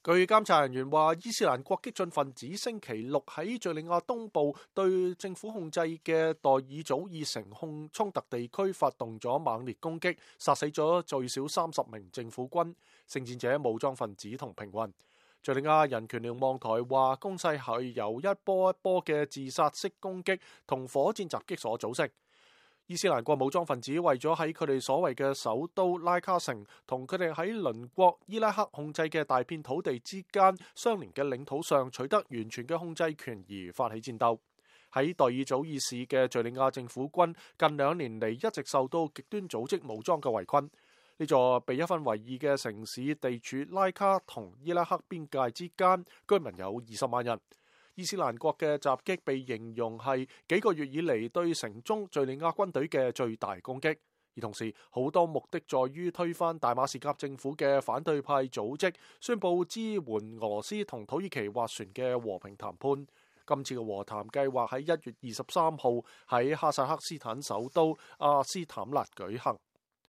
據監察人員話，伊斯蘭國激進分子星期六喺敘利亞東部對政府控制嘅代爾祖爾城衝突地區發動咗猛烈攻擊，殺死咗最少30名政府軍、聖戰者、武裝分子同平民。敘利亞人權瞭望台話，攻勢係由一波一波嘅自殺式攻擊同火箭襲擊所組成。伊斯蘭國武裝分子為咗喺佢哋所謂嘅首都拉卡城同佢哋喺鄰國伊拉克控制嘅大片土地之間相連嘅領土上取得完全嘅控制權而發起戰鬥。喺代爾祖爾市嘅敘利亞政府軍近2年嚟一直受到極端組織武裝嘅圍困。呢座被一分為二嘅城市地處拉卡同伊拉克邊界之間，居民有20萬人。伊斯蘭國嘅襲擊被形容係幾個月以嚟對城中敘利亞軍隊嘅最大攻擊，而同時好多目的在於推翻大馬士革政府嘅反對派組織宣布支援俄羅斯同土耳其斡旋嘅和平談判。今次嘅和談計劃喺1月23號喺哈薩克斯坦首都阿斯坦納舉行。